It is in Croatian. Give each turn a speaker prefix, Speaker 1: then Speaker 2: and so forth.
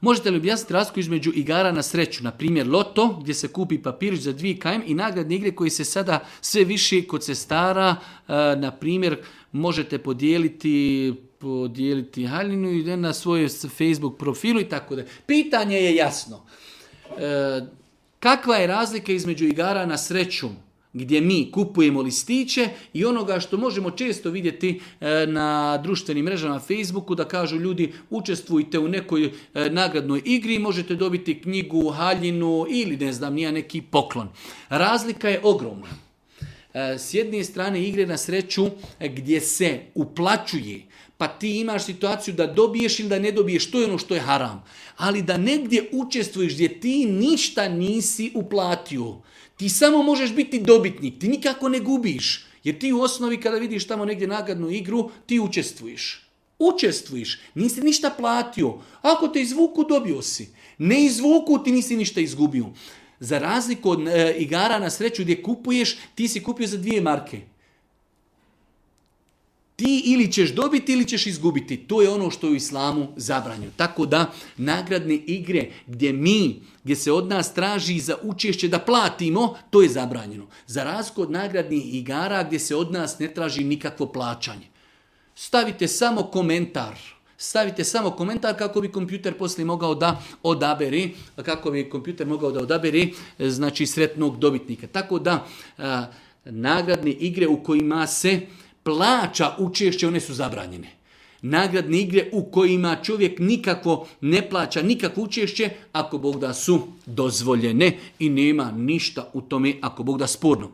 Speaker 1: Možete li objasniti razliku između igara na sreću, na primjer loto, gdje se kupi papirić za 2 km i nagradne igre koji se sada sve više kod sestara, na primjer, možete podijeliti haljinu i na svoj Facebook profilu i tako da. Pitanje je jasno. Kakva je razlika između igara na sreću gdje mi kupujemo listiće i onoga što možemo često vidjeti na društvenim mrežama na Facebooku da kažu ljudi učestvujte u nekoj nagradnoj igri i možete dobiti knjigu, haljinu ili ne znam nija neki poklon. Razlika je ogromna. S jedne strane igre na sreću gdje se uplaćuje, pa ti imaš situaciju da dobiješ ili da ne dobiješ, to je ono što je haram. Ali da negdje učestvuješ gdje ti ništa nisi uplatio, ti samo možeš biti dobitnik, ti nikako ne gubiš. Jer ti u osnovi kada vidiš tamo negdje nagradnu igru, ti učestvuješ. Učestvuješ, nisi ništa platio. Ako te izvuku, dobio si. Ne izvuku, ti nisi ništa izgubio. Za razliku od igara na sreću gdje kupuješ, ti si kupio za 2 marke. Ti ili ćeš dobiti ili ćeš izgubiti. To je ono što je u islamu zabranjeno. Tako da nagradne igre gdje se od nas traži za učešće da platimo, to je zabranjeno. Za razliku od nagradnih igara gdje se od nas ne traži nikakvo plaćanje. Stavite samo komentar. Kako bi kompjuter poslije mogao da odabere, znači sretnog dobitnika. Tako da nagradne igre u kojima se plaća učešće, one su zabranjene. Nagradne igre u kojima čovjek nikakvo ne plaća, nikakvo učešće, ako Bog da su dozvoljene i nema ništa u tome, ako Bog da sporno.